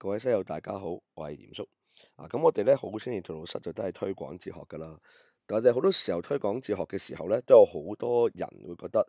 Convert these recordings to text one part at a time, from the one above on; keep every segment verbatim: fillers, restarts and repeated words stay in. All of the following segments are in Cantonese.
各位室友大家好，我係嚴叔。啊，咁我哋咧好青年荼毒室就都係推廣哲學噶啦。但係好多時候推廣哲學嘅時候咧，都有好多人會覺得，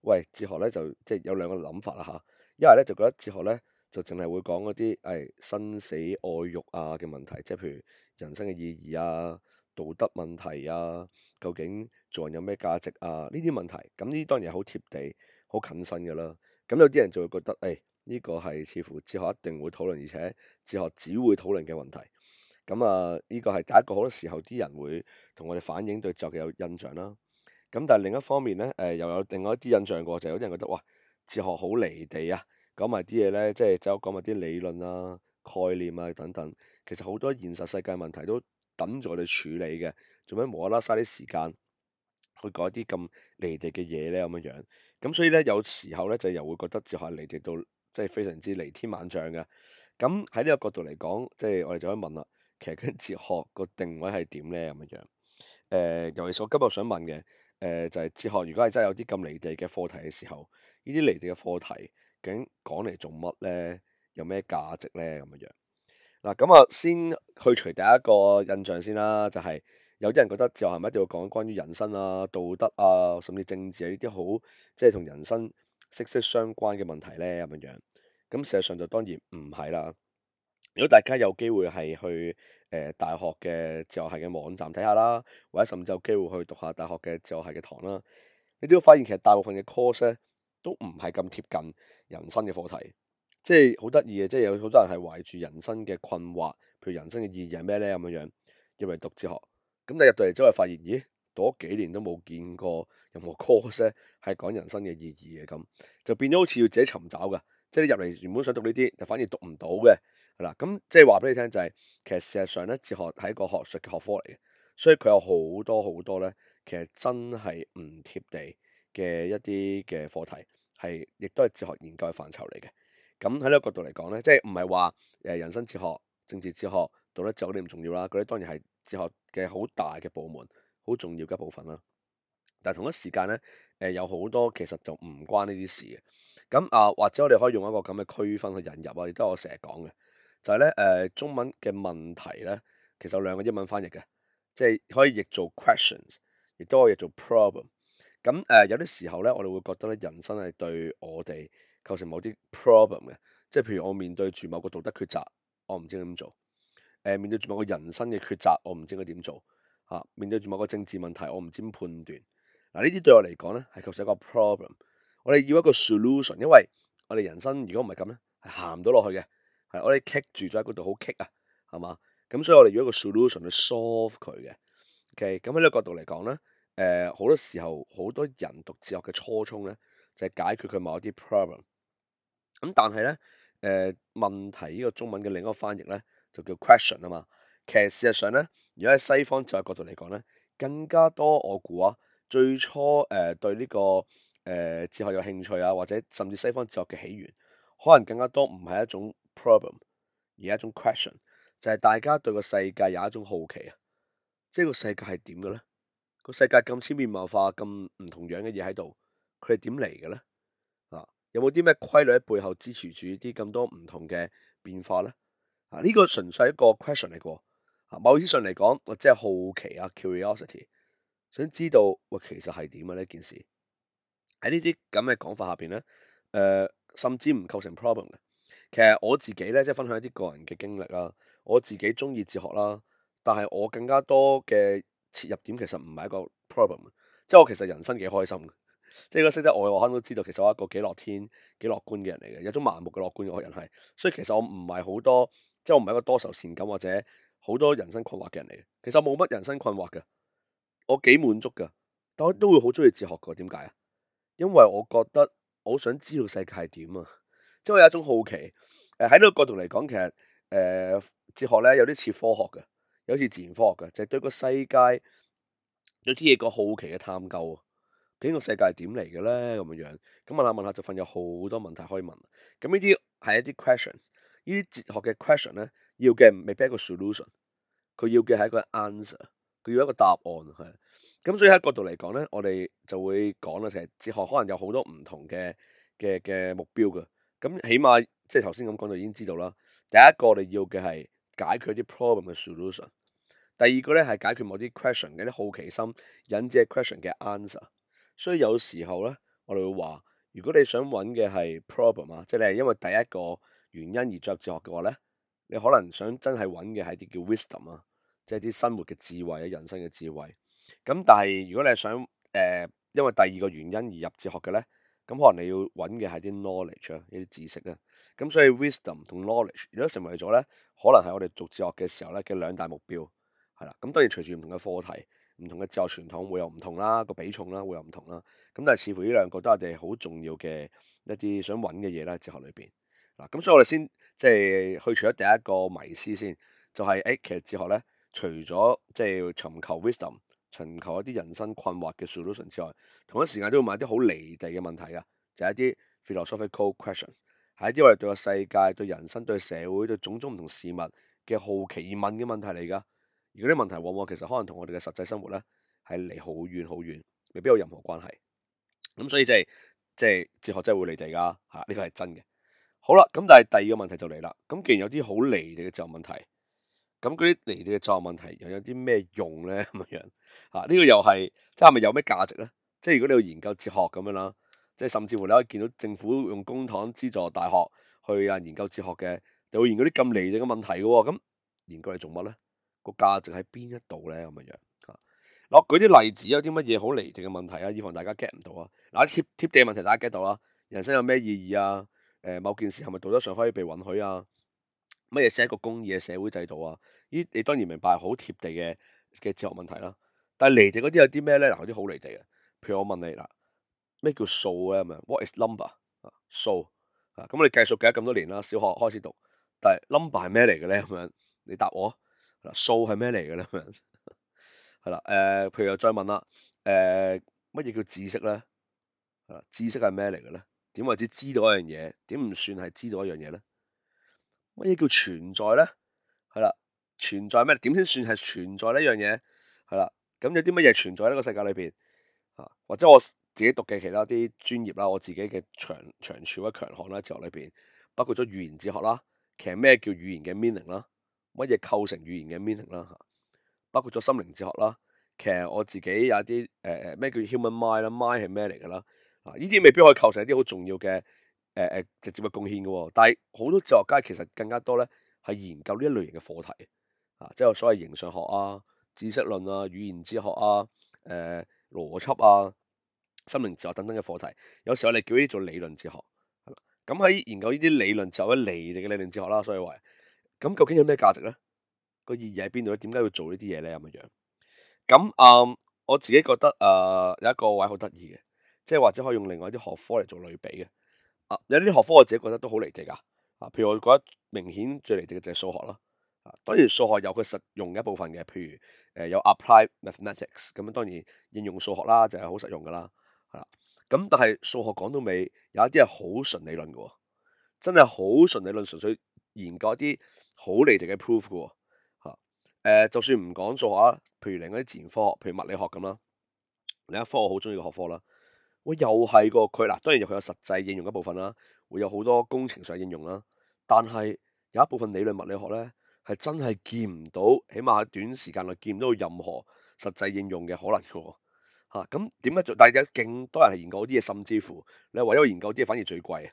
喂，哲學咧就即係有兩個諗法啦吓。一係咧就覺得哲學咧就淨係會講嗰啲誒生死愛欲啊嘅問題，即係譬如人生嘅意義啊、道德問題啊、究竟做人有咩價值啊呢啲問題。咁呢啲當然係好貼地、好近身噶啦。咁有啲人就會覺得，誒，呢個係似乎哲學一定會討論，而且哲學只會討論嘅問題。咁啊，呢個係第一個好多時候啲人會同我哋反映對哲學嘅有印象啦。咁但係另一方面咧，誒又有另外一啲印象過，就係有啲人覺得哇，哲學好離地啊，講埋啲嘢咧，即係走講埋啲理論啊、概念啊等等。其實好多現實世界問題都等住我哋處理嘅，做咩無啦啦嘥啲時間去講一啲咁離地嘅嘢咧咁樣樣？咁所以咧，有時候咧就又會覺得哲學係離地到即係非常之離天萬丈嘅。咁喺呢個角度嚟講，即係我哋就可以問啦，其實跟哲學個定位係點咧咁樣樣？誒，尤其是我今日想問嘅，誒就係哲學，如果係真係有啲咁離地嘅課題嘅時候，呢啲離地嘅課題究竟講嚟做乜咧？有咩價值咧？咁樣樣嗱，咁啊先去除第一個印象先啦，就係有啲人覺得哲學係咪一定要講關於人生啊、道德啊，甚至政治啊呢啲好即係同人生息息相關嘅問題咧咁樣樣？咁事實上就當然唔係啦。如果大家有機會係去誒、呃、大學嘅哲學系嘅網站睇下啦，或者甚至有機會去讀下大學嘅哲學系嘅堂啦，你都會發現其實大部分嘅 course 咧都唔係咁貼近人生嘅課題，即係好得意嘅，即係有好多人係懷住人生嘅困惑，譬如人生嘅意義係咩咧咁樣樣入嚟讀哲學，咁你入到嚟之後發現，咦，讀咗幾年都冇見過任何 course 咧係講人生嘅意義嘅，咁就變咗好似要自己尋找㗎，即係你入嚟原本想讀呢啲，就反而讀唔到嘅。係啦，咁即係話俾你聽就係、是，其實事實上咧，哲學係一個學術嘅學科嚟嘅，所以佢有好多好多咧，其實真係唔貼地嘅一啲嘅課題，係亦都係哲學研究嘅範疇嚟嘅。咁喺呢個角度嚟講咧，即係唔係話誒人生哲學、政治哲學、道德哲學嗰啲唔重要啦，嗰啲當然係哲學嘅好大嘅部門，好重要嘅一部分啦。但係同一時間咧，誒有好多其實就唔關呢啲事嘅。咁啊，或者我哋可以用一個咁嘅區分去引入啊，亦都係我成日講嘅。就係咧，誒中文嘅問題咧，其實有兩個英文翻譯嘅，即係可以譯做 questions，亦都可以譯做 problem。咁誒有啲時候咧，我哋會覺得咧，人生係對我哋構成某啲 problem 嘅，即係譬如我面對住某個道德抉擇，我唔知點做；誒面對住某個人生嘅抉擇，我唔知應該點做；嚇面對住某個政治問題，我唔知點判斷。嗱，呢啲對我嚟講咧，係構成一個 problem。我哋要一個 solution，因為我哋人生如果唔係咁咧，係行唔到落去嘅。係我哋棘住咗喺嗰度，好棘啊，係嘛？咁所以我哋要一個 solution 去 solve 佢嘅。OK，咁喺呢個角度嚟講咧，誒、呃、好多時候好多人讀哲學嘅初衷咧，就係、是、解決佢某一啲 problem。咁但係咧，誒、呃、問題呢個中文嘅另一個翻譯咧，就叫 question 啊嘛。其實事實上咧，如果喺西方哲學角度嚟講咧，更加多我估啊，最初誒、呃、對呢、這個誒、呃、哲學有興趣啊，或者甚至西方哲學嘅起源，可能更加多唔係一種 problem，而係一種 question，就係大家對個世界有一種好奇啊，即係個世界係點嘅咧？個世界咁千變萬化、咁唔同樣嘅嘢喺度，佢係點嚟嘅咧？啊，有冇啲咩規律喺背後支持住啲咁多唔同嘅變化咧？啊，呢個純粹係一個 question 嚟嘅。啊，某意思上嚟講，我即係好奇啊 curiosity，想知道喂其實係點啊呢件事？喺呢啲咁嘅講法下邊咧，誒、呃、甚至唔構成 problem 嘅。其實我自己咧，即係分享一啲個人嘅經歷啦。我自己中意哲學啦，但係我更加多嘅切入點其實唔係一個 problem。即係我其實人生幾開心嘅。即係如果識得我嘅話，可能都知道其實我係一個幾樂天、幾樂觀嘅人嚟嘅，有種盲目嘅樂觀嘅人係。所以其實我唔係好多，即係我唔係一個多愁善感或者好多人生困惑嘅人嚟嘅。其實我冇乜人生困惑嘅，我幾滿足㗎。但我都會好中意哲學㗎。點解啊？因為我覺得我好想知道世界係點啊，即係我有一種好奇。誒喺呢個角度嚟講，其實誒、呃、哲學咧有啲似科學嘅，有啲似自然科學嘅，就係、是、對個世界有啲嘢個好奇嘅探究啊。究竟個世界係點嚟嘅咧？咁樣樣咁問下問下就發現有好多問題可以問。咁呢啲係一啲 questions，呢啲哲學嘅 question 咧要嘅未必係一個 solution，佢要嘅係一個 answer，佢要一個答案係。咁所以喺角度嚟講咧，我哋就會講啦，其實哲學可能有好多唔同嘅嘅嘅目標嘅。咁起碼即係頭先咁講就已經知道啦。第一個我哋要嘅係解決啲 problem 嘅 solution，第二個咧係解決某啲 question 嘅啲好奇心引致嘅 question 嘅 answer。所以有時候咧，我哋會話，如果你想揾嘅係 problem 啊，即係你係因為第一個原因而進入哲學嘅話咧，你可能想真係揾嘅係啲叫 wisdom 啊，即係啲生活嘅智慧啊，人生嘅智慧。咁但係如果你係想誒、呃，因為第二個原因而入哲學嘅咧，咁可能你要揾嘅係啲 knowledge 啊，一啲知識啊。咁所以 wisdom 同 knowledge 如果成為咗咧，可能係我哋讀哲學嘅時候咧嘅兩大目標。係啦，咁當然隨住唔同嘅課題、唔同嘅哲學傳統會有唔同啦，個比重啦會有唔同啦。咁但係似乎呢兩個都係我哋好重要嘅一啲想揾嘅嘢啦，哲學裏邊。嗱，咁所以我哋先即係去除咗第一個迷思先，就係、是、誒其實哲學咧，除咗即係尋求 wisdom、尋求一啲人生困惑嘅 solution 之外，同一時間都會問一啲好離地嘅問題啊，就係、是、一啲 philosophical questions，係一啲我哋對個世界、對人生、對社會、對種種唔同事物嘅好奇而問嘅問題嚟㗎。而嗰啲問題往往其實可能同我哋嘅實際生活咧係離好遠好遠，未必有任何關係。咁所以即係即係哲學真係會離地㗎嚇，呢個係真嘅。好啦，咁但係第二個問題就嚟啦。咁既然有啲好離地嘅哲學問題，咁嗰啲離地嘅哲學問題又有啲咩用咧？咁樣嚇呢個又係即係咪有咩價值咧？即係如果你要研究哲學咁樣啦，即係甚至乎你可以見到政府用公帑資助大學去啊研究哲學嘅，就會研究啲咁離地嘅問題嘅喎。咁研究嚟做乜咧？個價值喺邊一度咧？咁樣樣嚇。嗱，我舉啲例子，有啲乜嘢好離地嘅問題啊？以防大家 get 唔到啊。嗱，貼貼地嘅問題大家 get 到啦。人生有咩意義啊？誒，某件事係咪道德上可以被允許啊？乜嘢先係一個公義嘅社會制度啊？呢你當然明白係好貼地嘅嘅哲學問題啦。但係離地嗰啲有啲咩咧？嗱，有啲好離地嘅。譬如我問你嗱，咩叫數咧？咁樣 What is number 啊？數啊，咁我哋計數計咗咁多年啦，小學開始讀，但係 number 係咩嚟嘅咧？咁樣你答我。嗱，數係咩嚟嘅咧？咁樣係啦。誒，譬如又再問啦，誒，乜嘢叫知識咧？係啦，知識係咩嚟嘅咧？點為之知道一樣嘢？點唔算係知道一樣嘢咧？乜嘢叫存在咧？係啦，存在咩？點先算係存在呢樣嘢？係啦，咁有啲乜嘢存在喺呢個世界裏邊啊？或者我自己讀嘅其他啲專業啦，我自己嘅長長處或者強項啦，哲學裏邊包括咗語言哲學啦。其實咩叫語言嘅 meaning 啦？乜嘢構成語言嘅 meaning 啦？嚇，包括咗心靈哲學啦。其實我自己有啲誒誒咩叫 human mind 啦，mind 係咩嚟㗎啦？啊，呢啲未必可以構成一啲好重要嘅。誒誒直接嘅貢獻嘅喎，但係好多哲學家其實更加多咧係研究呢一類型嘅課題啊，即係所謂形上學啊、知識論啊、語言哲學啊、誒邏輯啊、心靈哲學等等嘅課題。有時候我哋叫呢啲做理論哲學，係啦。咁喺研究呢啲理論就係離地嘅理論哲學啦。所以話，咁究竟有咩價值咧？個意義喺邊度咧？點解要做呢啲嘢咧？咁樣樣咁啊，我自己覺得誒有一個位好得意嘅，即係或者可以用另外一啲學科嚟做類比嘅。啊，有啲學科我自己覺得都好離地㗎。啊，譬如我覺得明顯最離地嘅就係數學啦。啊，當然數學有佢實用嘅一部分嘅，譬如誒、呃、有 applied mathematics 咁樣，當然應用數學啦就係好實用㗎啦。係啦，咁但係數學講到尾有一啲係好純理論嘅喎，真係好純理論，純粹研究一啲好離地嘅 proof 嘅喎。嚇、誒、呃，就算唔講數學啊，譬如另外啲自然科學，譬如物理學咁啦，另一科我好中意嘅學科啦。喂，又係個佢嗱，當然有佢有實際應用一部分啦，會有好多工程上應用啦。但係有一部分理論物理學咧，係真係見唔到，起碼喺短時間內見唔到任何實際應用嘅可能嘅喎。嚇，咁點解做？但係有勁多人係研究啲嘢，甚至乎你為咗研究啲嘢反而最貴，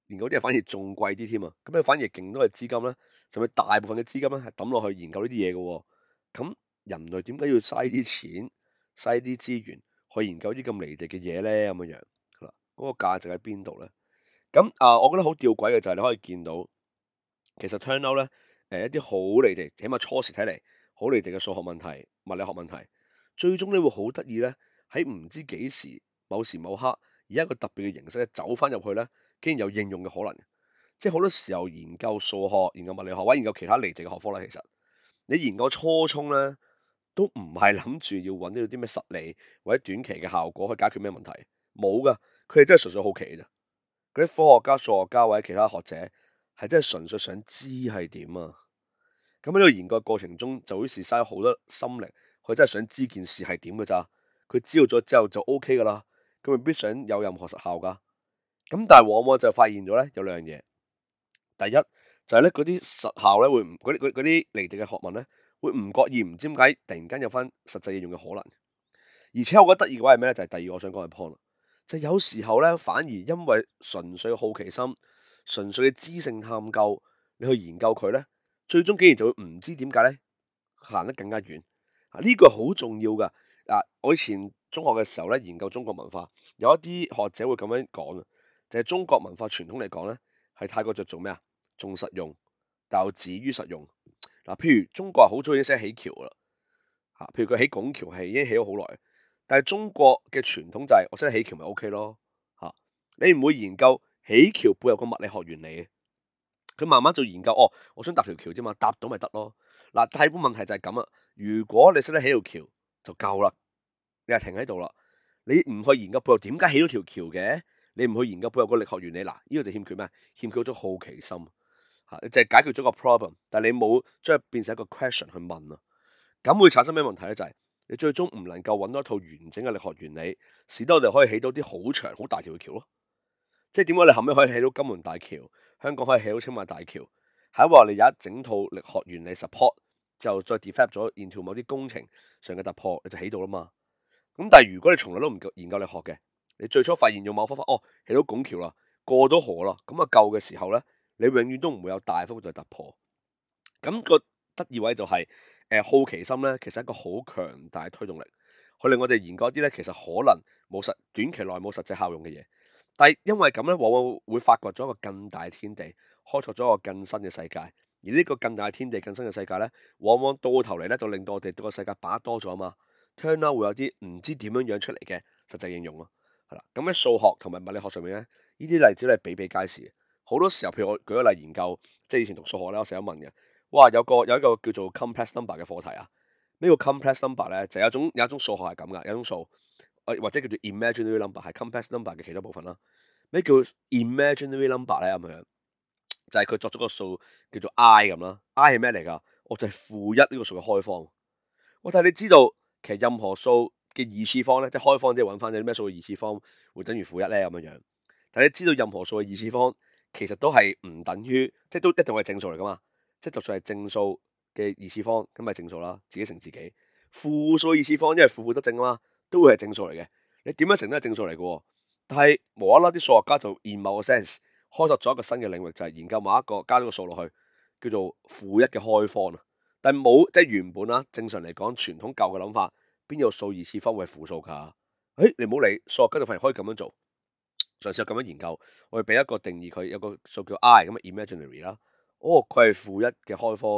研究啲嘢反而仲貴啲添啊！咁你反而勁多嘅資金咧，甚至大部分嘅資金咧係抌落去研究呢啲嘢嘅喎。咁人類點解要嘥啲錢、嘥啲資源？去研究啲咁離地嘅嘢咧，咁樣樣，嗱，嗰個價值喺邊度咧？咁啊，我覺得好吊詭嘅就係你可以見到，其實 turn out 咧，誒一啲好離地，起碼初時睇嚟好離地嘅數學問題、物理學問題，最終咧會好得意咧，喺唔知幾時、某時某刻，以一個特別嘅形式咧走翻入去咧，竟然有應用嘅可能。即係好多時候研究數學、研究物理學或者研究其他離地嘅學科咧，其實你研究初衷咧，都唔係諗住要揾到啲咩實例或者短期嘅效果去解決咩問題，冇噶，佢哋真係純粹好奇嘅啫。嗰啲科學家、數學家或者其他學者係真係純粹想知係點啊。咁喺呢個研究過程中，就好似嘥好多心力，佢真係想知件事係點嘅咋。佢知道咗之後就 O K 噶啦，佢未必想有任何實效噶。咁但係往往就發現咗咧有兩樣嘢。第一就係咧嗰啲實效咧會唔嗰啲嗰嗰啲離地嘅學問咧會唔覺意唔知點解突然間有翻實際應用嘅可能。而且我覺得得意嘅話係咩咧？就係、是、第二我想講嘅 point 啦，就係、有時候咧反而因為純粹好奇心、純粹嘅知性探究，你去研究佢咧，最終竟然就會唔知點解咧行得更加遠。啊，呢個好重要噶。嗱、啊，我以前中學嘅時候咧研究中國文化，有一啲學者會咁樣講啊，就係、是、中國文化傳統嚟講咧係太過着重咩啊？重實用，但又止於實用。嗱、啊，譬如中國好早已經識起橋啦，嚇，譬如佢起拱橋係已經起咗好耐。但係中國嘅傳統就係我識得起橋咪 O K 咯嚇，你唔會研究起橋背後個物理學原理嘅，佢慢慢就研究哦，我想搭條橋啫嘛，搭到咪得咯。嗱，但係個問題就係咁啊，如果你識得起條橋就夠啦，你係停喺度啦，你唔去研究背後點解起到條橋嘅，你唔去研究背後個力學原理，嗱，呢個就欠缺咩？欠缺咗好奇心嚇，你淨係解決咗個 problem，但係你冇將佢變成一個 question 去問啊，咁會產生咩問題咧？就係你最終唔能夠揾到一套完整嘅力學原理，使得我哋可以起到啲好長、好大條嘅橋咯。即係點解你後尾可以起到金門大橋，香港可以起到青馬大橋，係因為我哋有一整套力學原理 support，就再 develop 咗 into 某啲工程上嘅突破，你就起到啦嘛。咁但係如果你從來都唔研究力學嘅，你最初發現用某方法，哦，起到拱橋啦，過到河啦，咁啊夠嘅時候咧，你永遠都唔會有大幅度嘅突破。咁、個得意位就係、是。誒好奇心咧，其實係一個好強大嘅推動力，佢令我哋研究一啲咧，其實可能冇實短期內冇實際效用嘅嘢，但係因為咁咧，往往會發掘咗一個更大嘅天地，開拓咗一個更新嘅世界。而呢個更大嘅天地、更新嘅世界咧，往往到頭嚟咧，就令到我哋對個世界把握多咗啊嘛。turn out 會有啲唔知點樣樣出嚟嘅實際應用咯，係啦。咁喺數學同埋物理學上面咧，呢啲例子咧比比皆是。好多時候，譬如我舉個例研究，即係以前讀數學咧，我成日問嘅。哇！有個有一個叫做 complex number 嘅課題啊，咩叫 complex number 咧？就有一種有一種數學係咁噶，有一種數，誒或者叫做 imaginary number 係 complex number 嘅其中部分啦。咩叫 imaginary number 咧？咁樣就係佢作咗個數叫做 i 咁啦。i 係咩嚟㗎？我就係負一呢個數嘅開方。我但係你知道其實任何數嘅二次方咧，即係開方即係揾翻啲咩數嘅二次方會等於負一咧咁樣樣。但係你知道任何數嘅二次方其實都係唔等於，即係都一定係正數嚟㗎嘛。即係就算係正數嘅二次方，咁咪正數啦，自己乘自己。負數二次方，因為負負得正啊嘛，都會係正數嚟嘅。你點樣乘都係正數嚟嘅。但係無啦啦啲數學家就 in 某個 sense 開拓咗一個新嘅領域，就係研究某一個加咗個數落去，叫做負一嘅開方啊。但係冇即係原本啦，正常嚟講，傳統舊嘅諗法，邊有數二次方會係負數㗎？誒，你唔好理，數學家就發現可以咁樣做，嘗試咁樣研究，我哋俾一個定義佢，有個數叫 I 咁啊 imaginary 啦。哦，佢係負一嘅開方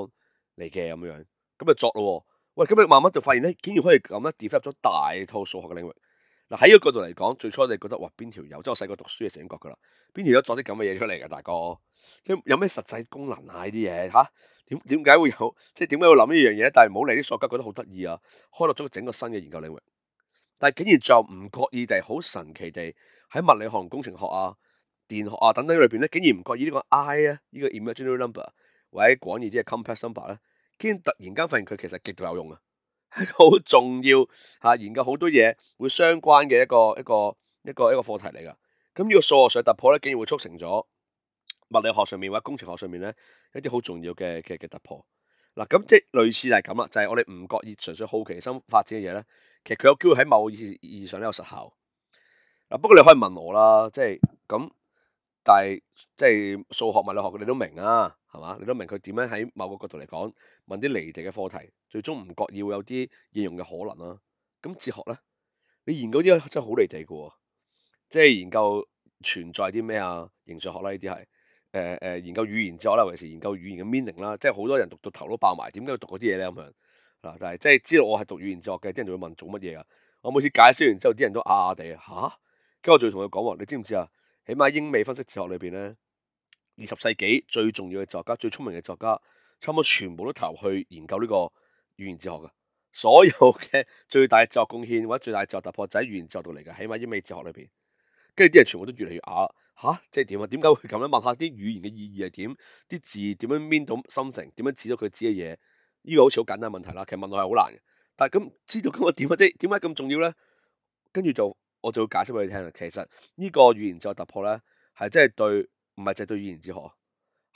嚟嘅咁樣，咁就作咯。喂，咁你慢慢就發現咧，竟然可以咁樣 develop 咗大套數學嘅領域。嗱，喺呢個角度嚟講，最初你覺得哇邊條友，即係我細個讀書嘅時候已經覺噶啦，邊條友作啲咁嘅嘢出嚟嘅大哥，即係有咩實際功能啊？呢啲嘢嚇點點解會有？即係點解會諗呢樣嘢？但係唔好理啲數學家覺得好得意啊，開落咗整個新嘅研究領域。但係竟然就唔覺意地、好神奇地喺物理學同工程學啊、電學啊等等裏邊咧，竟然唔覺意呢個 I 啊，呢個 imaginary number 或者廣義啲嘅 complex number 咧，竟然突然間發現佢其實極度有用啊，係好重要嚇，研究好多嘢會相關嘅一個一個一個一個課題嚟㗎。咁呢個數學上突破咧，竟然會促成咗物理學上面或者工程學上面咧一啲好重要嘅嘅嘅突破。嗱，咁即係類似係咁啦，就係、是、我哋唔覺意純粹好奇心發展嘅嘢咧，其實佢有機會喺某意義上咧有實效。嗱，不過你可以問我啦，即係咁，但係即係數學物理學你都明啊，係嘛？你都明佢點樣喺某個角度嚟講問啲離地嘅課題，最終唔覺意會有啲應用嘅可能啦。咁哲學咧，你研究啲真係好離地嘅喎，即係研究存在啲咩啊？形上學啦，呢啲係誒誒研究語言哲學啦，尤其是研究語言嘅 meaning 啦，即係好多人讀到頭都爆埋，點解要讀嗰啲嘢咧咁樣嗱？但係即係知道我係讀語言哲學嘅，啲人就會問做乜嘢啊？我每次解釋完之後，啲人都啞啞地啊嚇。跟住我仲要同佢講話，你知唔知啊？起碼英美分析哲學裏邊咧，二十世紀最重要嘅作家、最聰明嘅作家，差唔多全部都投入去研究呢個語言哲學嘅。所有嘅最大哲學貢獻或者最大哲學突破就喺語言哲學度嚟嘅。起碼英美哲學裏邊，跟住啲人全部都越嚟越啞嚇，即係點啊？點解會咁樣？問下啲語言嘅意義係點？啲字點樣 mean 到 something？點樣指到佢知嘅嘢？呢個好似好簡單問題啦。其實問落係好難嘅，但係咁知道咁個點啊？即係點解咁重要咧？跟住就。我就會解釋俾你聽啦。其實呢個語言哲學突破咧，係真係對，唔係淨係對語言哲學，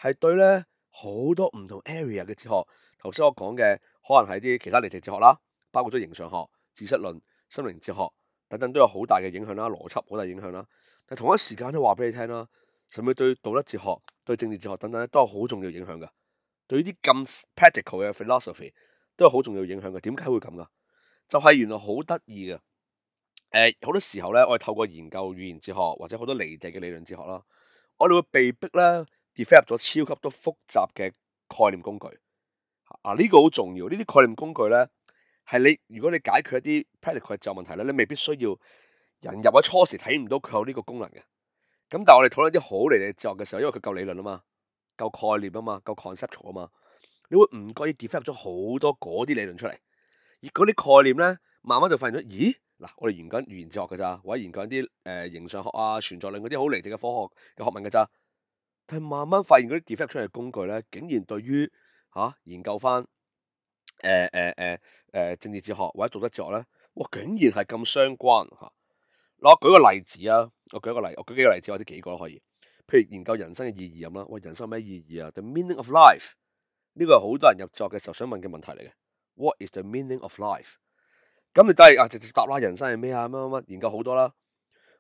係對咧好多唔同 area 嘅哲學。頭先我講嘅可能係啲其他離地哲學啦，包括咗形上學、知識論、心靈哲學等等都有好大嘅影響啦，邏輯好大影響啦。但同一時間都話俾你聽啦，甚至對道德哲學、對政治哲學等等咧都有好重要影響噶。對於啲咁 practical 嘅 philosophy 都有好重要影響嘅。點解會咁噶？就係、是、原來好得意嘅。誒、呃，好多時候咧，我哋透過研究語言哲學或者好多離地嘅理論哲學啦，我哋會被逼咧 develop 咗超級多複雜嘅概念工具。啊，呢、這個好重要。呢啲概念工具咧，係你如果你解決一啲 practical 嘅哲學問題咧，你未必需要人入喺初時睇唔到佢有呢個功能嘅。咁但係我哋討論啲好離地哲學嘅時候，因為佢夠理論啊嘛，夠概念啊嘛，夠 conceptual 啊嘛，你會唔覺意 develop 咗好多嗰啲理論出嚟，而嗰啲概念咧，慢慢就發現咗，咦嗱，我哋研究語言哲學嘅咋，或者研究啲誒形上學啊、存在論嗰啲好離地嘅科學嘅學問嘅咋，但係慢慢發現嗰啲 develop 出嚟嘅工具咧，竟然對於嚇、啊、研究翻誒誒誒誒政治哲學或者道德哲學咧，哇，竟然係咁相關嚇。嗱，我舉個例子啊，我舉一個例，我舉幾個例子或者幾個都可以。譬如研究人生嘅意義咁啦，喂，人生有咩意義啊？The meaning of life 呢個係好多人入作嘅時候想問嘅問題嚟嘅。What is the meaning of life？咁你都係啊，直接答啦，人生係咩啊？乜乜乜，研究好多啦。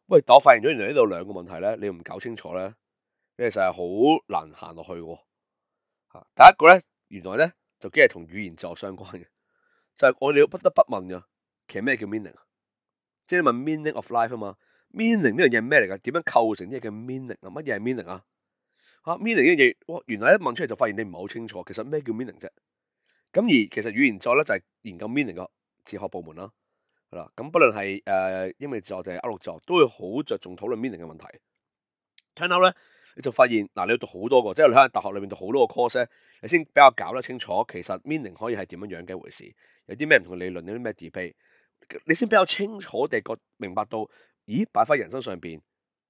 喂，但我發現咗原來呢度兩個問題咧，你唔搞清楚咧，你其實係好難行落去嘅。吓，第一個咧，原來咧就既係同語言哲學相關嘅，就係我哋不得不問嘅，其實咩叫 meaning？即係你問 meaning of life 啊嘛，meaning 呢樣嘢係咩嚟噶？點樣構成呢嘢嘅 meaning 啊？乜嘢係 meaning 啊？吓，meaning 呢樣嘢，哇！原來一問出嚟就發現你唔係好清楚，其實咩叫 meaning 啫？咁而其實語言哲學咧就係研究 meaning 嘅哲學部門啦，係啦。咁不論係誒英美哲學定係歐陸哲學，都會好着重討論 meaning 嘅問題。聽到咧，你就發現嗱，你要讀好多個，即係你喺大學裏面讀好多個 course 咧，你先比較搞得清楚，其實 meaning 可以係點樣樣嘅一回事，有啲咩唔同嘅理論，有啲咩 debate。你先比較清楚地覺明白到，咦，擺翻人生上邊，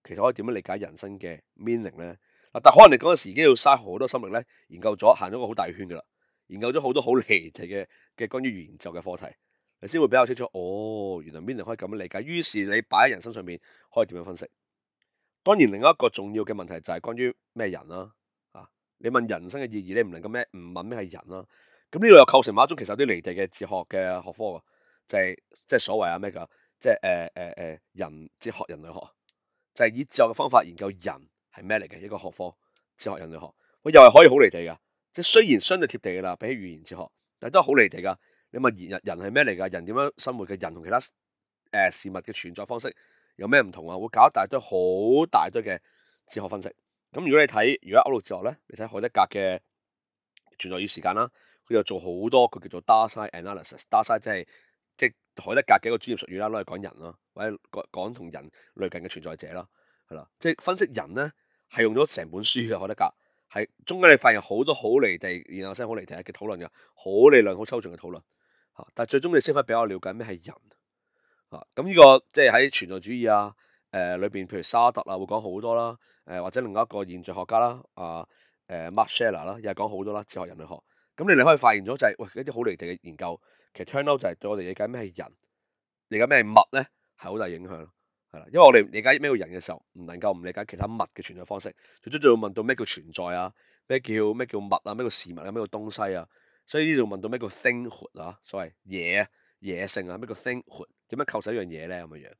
其實可以點樣理解人生嘅 meaning 咧？嗱，但可能你嗰陣時已經要嘥好多心力咧，研究咗行咗個好大圈噶啦，研究咗好多好離地嘅嘅關於語言哲學嘅課題，你先會比較清楚。哦，原來 meaning 可以咁樣理解。於是你擺喺人生上邊，可以點樣分析？當然，另一個重要嘅問題就係關於咩人啦。啊，你問人生嘅意義，你唔能夠咩唔問咩係人啦。咁呢度又構成某一種其實有啲離地嘅哲學嘅學科。就係即係所謂啊咩噶，即係誒誒誒人哲學人類學，就係、是、以哲學嘅方法研究人係咩嚟嘅一個學科，哲學人類學，佢又係可以好離地噶，即係雖然相對貼地噶啦，比起語言哲學，但係都係好離地噶。你問人人係咩嚟噶？人點樣生活嘅？人同其他誒、呃、事物嘅存在方式有咩唔同啊？會搞一大堆好大堆嘅哲學分析。咁如果你睇如果歐陸哲學咧，你睇海德格嘅存在與時間啦，佢又做好多佢叫做 Dasein analysis，Dasein 即係。即係海德格嘅一個專業術語啦，攞嚟講人啦，或者講講同人類近嘅存在者啦，係啦，即係分析人咧，係用咗成本書嘅海德格，係中間你發現好多好離地，然後先好離地嘅討論嘅，好理論、好抽象嘅討論嚇，但係最終你先可以比較了解咩係人嚇。咁呢個即係喺存在主義啊，誒裏邊，譬如沙特啊，會講好多啦，誒或者另外一個現象學家啦，啊誒 Max Scheler 啦，又係講好多啦，哲學人類學。咁你哋可以發現咗就係、是、喂一啲好離地嘅研究。其實 turn out 就係對我哋理解咩係人，理解咩係物咧，係好大影響咯，係啦。因為我哋理解咩叫人嘅時候，唔能夠唔理解其他物嘅存在方式。最終仲要問到咩叫存在啊？咩叫咩叫物啊？咩叫事物啊？咩叫東西啊？所以呢度問到咩叫 thinghood 啊？所謂嘢啊、野性啊？咩叫 thinghood？點樣構成一樣嘢咧？咁嘅樣。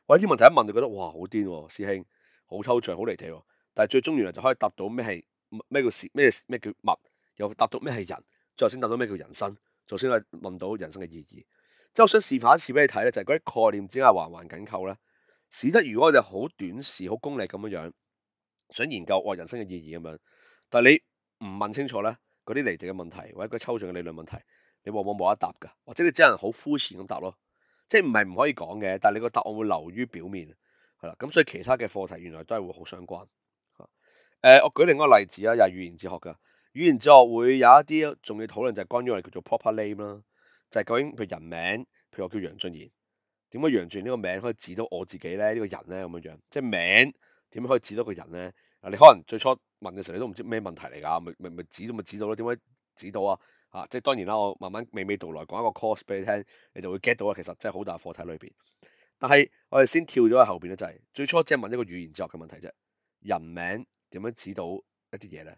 喂，呢啲問題一問就覺得哇，好癲喎，師兄，好抽象，好離地喎。但係最終原來就可以答到咩係咩叫事，咩咩叫物，又答到咩係人，最後先答到咩叫人生。首先係問到人生嘅意義，即係我想示範一次俾你睇咧，就係嗰啲概念之間環環緊扣咧，使得如果我哋好短視、好功利咁樣樣想研究我人生嘅意義咁樣，但係你唔問清楚咧，嗰啲離地嘅問題或者嗰啲抽象嘅理論問題，你往往冇得答噶，或者你只能好膚淺咁答咯，即係唔係唔可以講嘅，但係你個答案會流於表面，係啦，咁所以其他嘅課題原來都係會好相關。誒、呃，我舉另一個例子啊，又係語言哲學噶。語言哲學會有一啲重要討論，就係關於我哋叫做 proper name 啦，就係究竟譬如人名，譬如我叫楊俊賢，點解楊俊賢呢個名可以指到我自己咧？呢、這個人咧咁樣樣，即係名點樣可以指到個人咧？啊，你可能最初問嘅時候你都唔知咩問題嚟㗎，咪咪咪指到咪指到咯？點解指到啊？啊，即係當然啦，我慢慢娓娓道來講一個 course 俾你聽，你就會 get 到啦。其實真係好大課題裏邊，但係我哋先跳咗喺後邊咧，就係、是、最初只係問一個語言哲學嘅問題啫。人名點樣指到一啲嘢咧？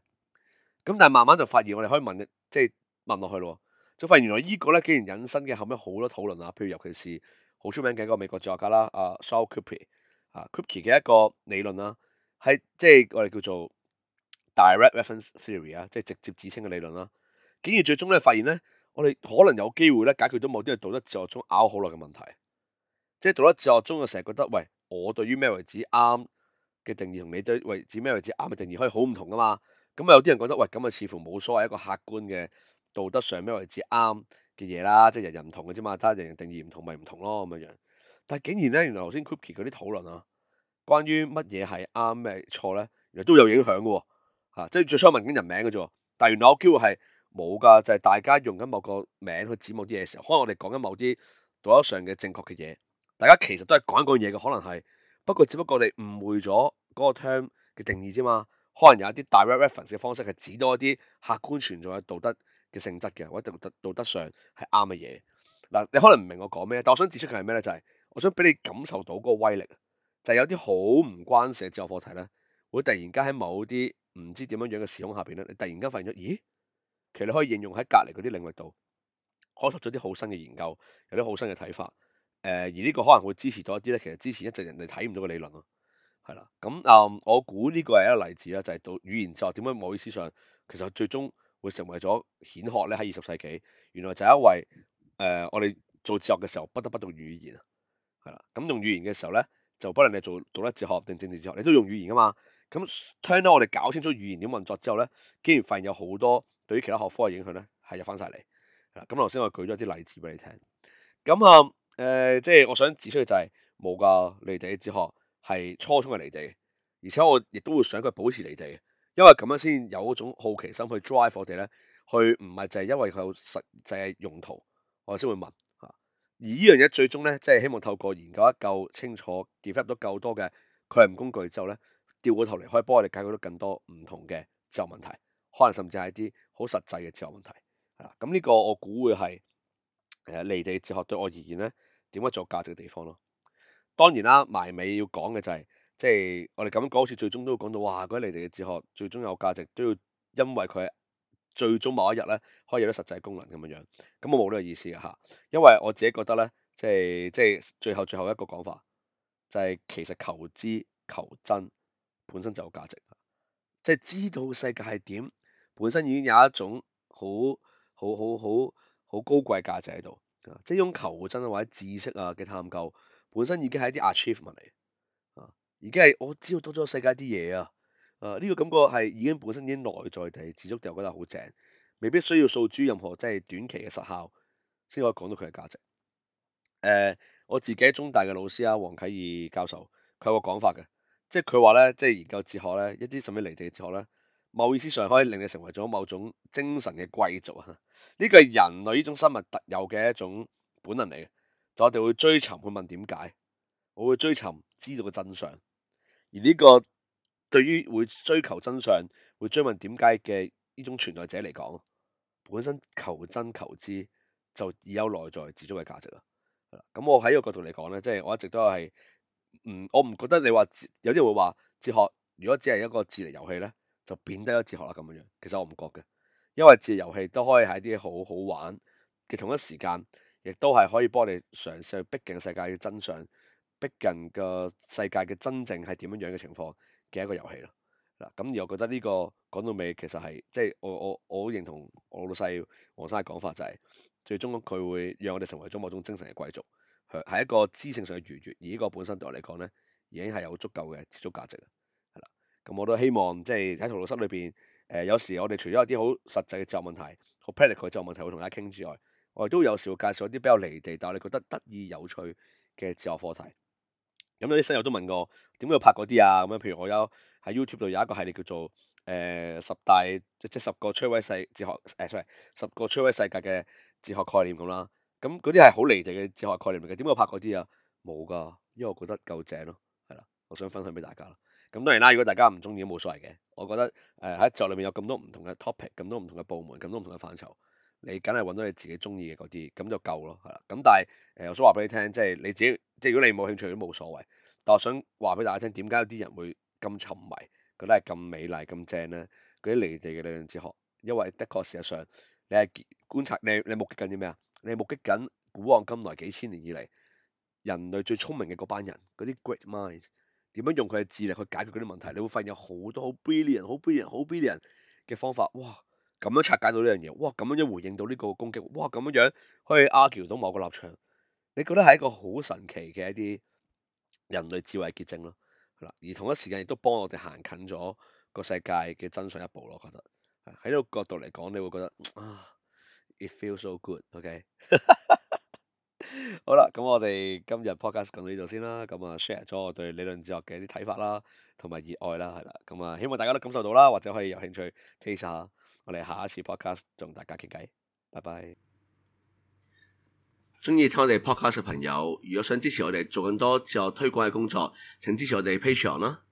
咁但係慢慢就發現我哋可以問，即係問落去咯，就發現原來呢個咧竟然引申嘅後尾好多討論啊，譬如尤其是好出名嘅一個美國哲學家啦，啊 Saul Kripke 啊 Kripke 嘅一個理論啦，係即係我哋叫做 direct reference theory 啊，即係直接指稱嘅理論啦。竟然最終咧發現咧，我哋可能有機會咧解決到某啲係道德哲學中拗好耐嘅問題。即係道德哲學中，我成日覺得，喂，我對於咩為止啱嘅定義，同你對為止咩為止啱嘅定義可以好唔同噶嘛？咁啊有啲人覺得，喂，咁啊似乎冇所謂一個客觀嘅道德上咩為止啱嘅嘢啦，即係人人唔同嘅啫嘛，睇下人人定義唔同咪唔同咯咁樣樣。但係竟然咧，原來頭先 Kripke 嗰啲討論啊，關於乜嘢係啱咩錯咧，原來都有影響嘅喎。嚇，即係最初問緊人名嘅啫喎，但係原來有機會係冇㗎，就係大家用緊某個名去指某啲嘢嘅時候，可能我哋講緊某啲道德上嘅正確嘅嘢。大家其實都係講一個嘢嘅，可能係，不過只不過我哋誤會咗嗰個 term 嘅定義啫嘛。可能有一啲 direct reference 嘅方式係指到一啲客觀存在嘅道德嘅性質嘅，或者道德道德上係啱嘅嘢。嗱，你可能唔明我講咩，但我想指出嘅係咩咧？就係、是、我想俾你感受到嗰個威力，就係、是、有啲好唔關事嘅哲學課題咧，會突然間喺某啲唔知點樣樣嘅時空下邊咧，你突然間發現咗，咦，其實你可以應用喺隔離嗰啲領域度，開拓咗啲好新嘅研究，有啲好新嘅睇法。誒、呃、而呢個可能會支持到一啲咧，其實之前一直人哋睇唔到嘅理論咯，係啦。咁啊、嗯，我估呢個係一個例子啦，就係、是、到語言哲學點解某意思上其實最終會成為咗顯學咧喺二十世紀，原來就係因為誒、呃、我哋做哲學嘅時候不得不用語言啊，係啦。咁用語言嘅時候咧，就不論你做道德哲學定政治哲學，你都用語言噶嘛。咁聽到我哋搞清楚語言點運作之後咧，竟然發現有好多對於其他學科嘅影響咧係入翻晒嚟。係啦，咁頭先我舉咗啲例子俾你聽，咁啊。嗯誒、呃，即係我想指出嘅就係冇噶離地嘅哲學係初衷係離地，而且我亦都會想佢保持離地，因為咁樣先有嗰種好奇心去 drive 我哋咧，去唔係就係因為佢有實際用途，我先會問吓。而呢樣嘢最終咧，即係希望透過研究得夠清楚 develop 到夠多嘅概念工具之後咧，調過頭嚟可以幫我哋解決到更多唔同嘅哲學問題，可能甚至係一啲好實際嘅哲學問題。係啦，咁呢個我估會係誒離地哲學對我而言咧，點解做價值嘅地方咯？當然啦，埋尾要講嘅就係、是，即係我哋咁講，好似最終都會講到，哇！嗰啲離地嘅哲學最終有價值，都要因為佢最終某一日咧，可以有啲實際功能咁樣樣。咁我冇呢個意思嘅嚇，因為我自己覺得咧，即係即係最後最後一個講法，就係、是、其實求知求真本身就有價值，即係知道世界係點，本身已經有一種好好好好好高貴價值喺度。即係呢種求真或者知識啊嘅探究，本身已經係一啲 achievement 嚟，啊，已經係我知道多咗世界啲嘢啊，啊呢個感覺係已經本身已經內在地自足地，我覺得好正，未必需要訴諸任何即係短期嘅實效，先可以講到佢嘅價值。誒、呃，我自己中大嘅老師啊，黃啟義教授，佢有個講法嘅，即係佢話咧，即係研究哲學咧，一啲甚至離地嘅哲學咧。某意思上可以令你成為咗某種精神嘅貴族啊！呢個係人類呢種生物特有嘅一種本能嚟嘅，就我哋會追尋去問點解，我會追尋知道嘅真相。而呢個對於會追求真相、會追問點解嘅呢種存在者嚟講，本身求真求知就已有內在自足嘅價值啦。咁我喺呢個角度嚟講咧，即係我一直都係唔，我唔覺得你話有啲人會話哲學如果只係一個智力遊戲咧，就變低咗哲學啦咁樣樣。其實我唔覺嘅，因為智力遊戲都可以係啲好好玩嘅，同一時間亦都係可以幫你嘗試去逼近世界嘅真相，逼近個世界嘅真正係點樣樣嘅情況嘅一個遊戲咯。嗱，咁而我覺得呢個講到尾其實係即係我我我好認同我老細黃生嘅講法，就係最終佢會讓我哋成為咗某種精神嘅貴族，係一個知性上嘅愉悅，而呢個本身對我嚟講咧已經係有足夠嘅自足價值啦。係啦，咁我都希望即係喺陶魯室裏邊，誒、呃、有時我哋除咗有啲好實際嘅哲學問題、好 practical 嘅哲學問題會同大家傾之外，我哋都有時會介紹一啲比較離地，但係我哋覺得得意有趣嘅哲學課題。咁有啲室友都問過點解要拍嗰啲啊？咁樣譬如我有喺 YouTube 度有一個系列叫做誒、呃、十大即即十個摧毀世哲學誒、呃、sorry 十個摧毀世界嘅哲學概念咁啦。咁嗰啲係好離地嘅哲學概念嚟嘅，點解要拍嗰啲啊？冇噶，因為我覺得夠正咯，係啦，我想分享俾大家啦。咁當然啦，如果大家唔中意都冇所謂嘅。我覺得誒喺哲學裏面有咁多唔同嘅 topic，咁多唔同嘅部門，咁多唔同嘅範疇，你梗係揾到你自己中意嘅嗰啲，咁就夠咯，係啦。咁但係誒、呃，我想話俾你聽，即係你自己，即係如果你冇興趣都冇所謂。但我想話俾大家聽，點解有啲人會咁沉迷，覺得係咁美麗咁正咧？嗰啲離地嘅理論哲學，因為的確事實上你係觀察你你目擊緊啲咩啊？你係目擊緊古往今來幾千年以嚟人類最聰明嘅嗰班人，嗰啲 great minds 點樣用佢嘅智力去解決嗰啲問題？你會發現有好多好 brilliant、好 brilliant、好 brilliant 嘅方法，哇！咁樣拆解到呢樣嘢，哇！咁樣樣回應到呢個攻擊，哇！咁樣樣可以 argue 到某個立場，你覺得係一個好神奇嘅一啲人類智慧結晶咯，係啦。而同一時間亦都幫我哋行近咗個世界嘅真相一步咯，我覺得喺呢個角度嚟講，你會覺得啊，it feels so good，OK？好啦，咁我哋今日 podcast 講到呢度先啦，咁啊 share 咗我對理論哲學嘅一啲睇法啦，同埋熱愛啦，係啦，咁啊希望大家都感受到啦，或者可以有興趣 taste 下，我哋下一次 podcast 同大家傾偈，拜拜。中意聽我哋 podcast 嘅朋友，如果想支持我哋做更多哲學推廣嘅工作，請支持我哋 Patreon 啦。